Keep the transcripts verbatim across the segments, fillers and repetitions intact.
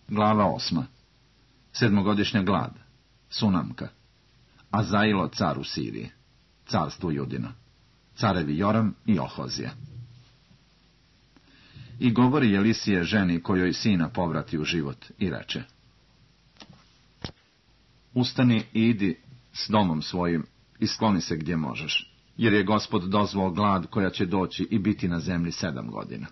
Glava osma. Sedmogodišnja glad. Sunamka. Azailo car u Siriji. Carstvo Judino. Carevi Joram i Ohozija. I govori Jelisije ženi kojoj sina povrati u život i reče: Ustani i idi s domom svojim i skloni se gdje možeš, jer je Gospod dozvao glad koja će doći i biti na zemlji sedam godina.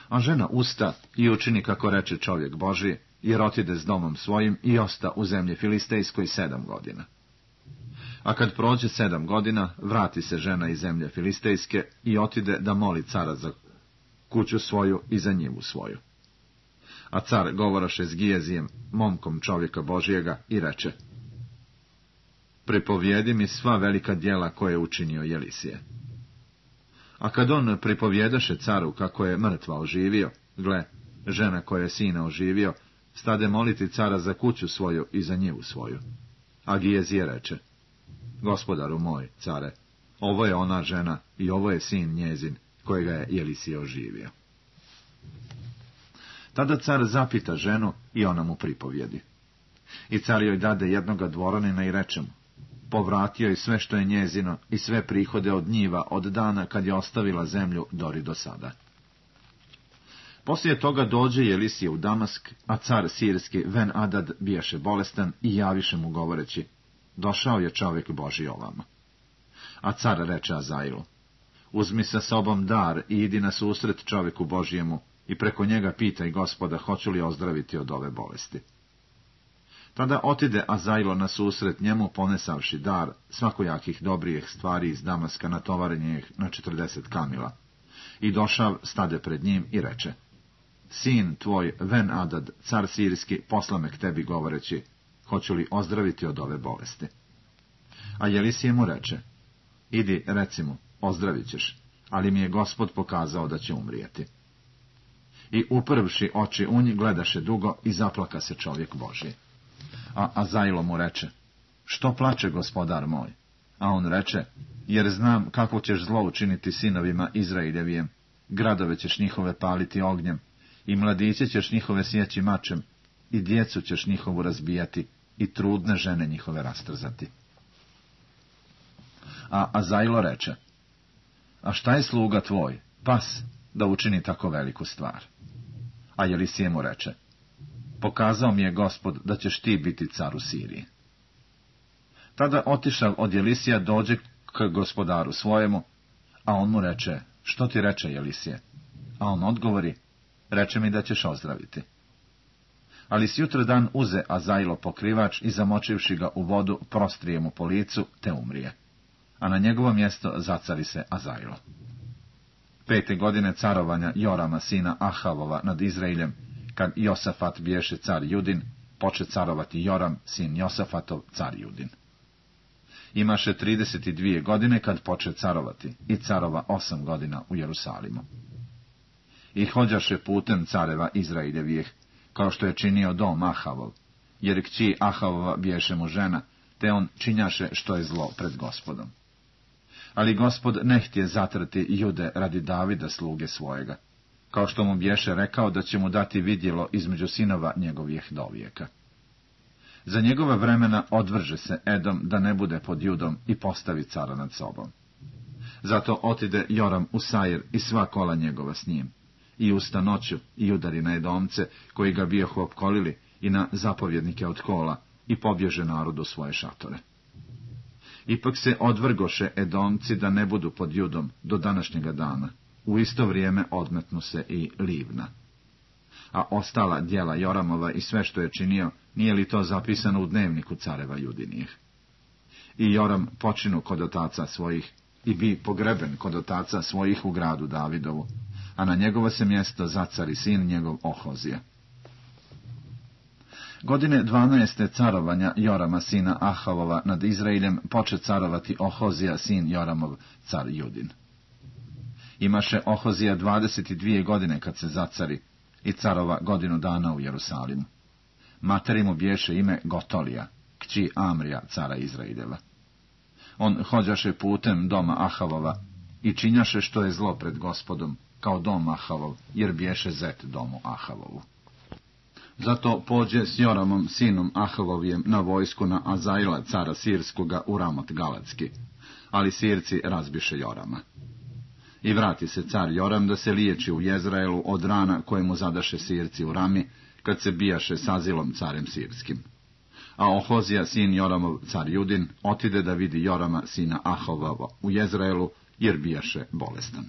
A žena usta i učini kako reče čovjek Božji, jer otide s domom svojim i osta u zemlji Filistejskoj sedam godina. A kad prođe sedam godina, vrati se žena iz zemlje Filistejske i otide da moli cara za kuću svoju i za njivu svoju. A car govoraše s Gijezijem, momkom čovjeka Božijega, i reče: Pripovijedi mi sva velika djela koje je učinio Jelisije. A kad on pripovjedaše caru kako je mrtva oživio, gle, žena koja je sina oživio, stade moliti cara za kuću svoju i za njivu svoju. A Gijezije reče: Gospodaru moj, care, ovo je ona žena i ovo je sin njezin, kojega je Jelisije oživio. Tada car zapita ženu i ona mu pripovjedi. I car joj dade jednoga dvoranina i reče mu: Povratio je sve što je njezino i sve prihode od njiva od dana kad je ostavila zemlju dori do sada. Poslije toga dođe Jelisije u Damask, a car sirski Ben Adad bijaše bolestan i javiše mu govoreći: Došao je čovjek Božji ovamo. A car reče Azailu: Uzmi sa sobom dar i idi na susret čovjeku Božjemu i preko njega pitaj Gospoda hoću li ozdraviti od ove bolesti. Tada otide Azailo na susret njemu ponesavši dar svakojakih dobrijih stvari iz Damaska natovarenih na četrdeset kamila. I došav stade pred njim i reče: Sin tvoj Ben Adad, car sirski, posla me k tebi govoreći: Hoću li ozdraviti od ove bolesti? A Jelisije mu reče: Idi, reci mu, ozdravit ćeš, ali mi je Gospod pokazao da će umrijeti. I uprvši oči u njih gledaše dugo i zaplaka se čovjek Božji. A Azailo mu reče: Što plače, gospodar moj? A on reče: Jer znam kako ćeš zlo učiniti sinovima Izraeljevijem, gradove ćeš njihove paliti ognjem, i mladiće ćeš njihove sjeći mačem, i djecu ćeš njihovu razbijati, i trudne žene njihove rastrzati. A Azailo reče: A šta je sluga tvoj, pas, da učini tako veliku stvar? A Jelisije mu reče: Pokazao mi je Gospod da ćeš ti biti car u Siriji. Tada otišav od Jelisija dođe k gospodaru svojemu, a on mu reče: Što ti reče Jelisije? A on odgovori: Reče mi da ćeš ozdraviti. Ali sjutra dan uze Azailo pokrivač i zamočivši ga u vodu, prostrije mu po licu, te umrije. A na njegovo mjesto zacari se Azailo. Pete godine carovanja Jorama sina Ahavova nad Izraeljem, kad Josafat biješe car Judin, poče carovati Joram sin Josafatov car Judin. Imaše trideset dvije godine kad poče carovati i carova osam godina u Jerusalimu. I hođaše putem careva Izraeljevih, kao što je činio dom Ahavov, jer kći Ahavova biješe mu žena, te on činjaše što je zlo pred Gospodom. Ali Gospod ne htje zatrti Jude radi Davida sluge svojega, kao što mu biješe rekao da će mu dati vidjelo između sinova njegovih dovijeka. Za njegova vremena odvrže se Edom da ne bude pod Judom i postavi cara nad sobom. Zato otide Joram u Sair i sva kola njegova s njim, i usta noću i udari na Edomce koji ga bijahu opkolili i na zapovjednike od kola i pobježe narodu svoje šatore. Ipak se odvrgoše Edomci da ne budu pod Judom do današnjega dana. U isto vrijeme odmetnu se i Livna. A ostala djela Joramova i sve što je činio, nije li to zapisano u dnevniku careva Judinijih? I Joram počinu kod otaca svojih i bi pogreben kod otaca svojih u gradu Davidovu, a na njegovo se mjesto zacari sin njegov Ohozija. Godine dvanaeste carovanja Jorama sina Ahavova nad Izraeljem poče carovati Ohozija sin Joramov car Judin. Imaše Ohozija dvadeset dvije godine kad se zacari i carova godinu dana u Jerusalimu. Materi mu biješe ime Gotolija, kći Amrija cara Izraeljeva. On hođaše putem doma Ahavova i činjaše što je zlo pred Gospodom, kao dom Ahavov, jer biješe zet domu Ahavovu. Zato pođe s Joramom, sinom Ahavovijem, na vojsku na Azaila, cara Sirskoga, u Ramot Galatski. Ali Sirci razbiše Jorama. I vrati se car Joram da se liječi u Jezraelu od rana koje mu zadaše Sirci u Rami, kad se bijaše s Azilom carem Sirskim. A Ohozija, sin Joramov, car Judin, otide da vidi Jorama, sina Ahavova, u Jezraelu, jer bijaše bolestan.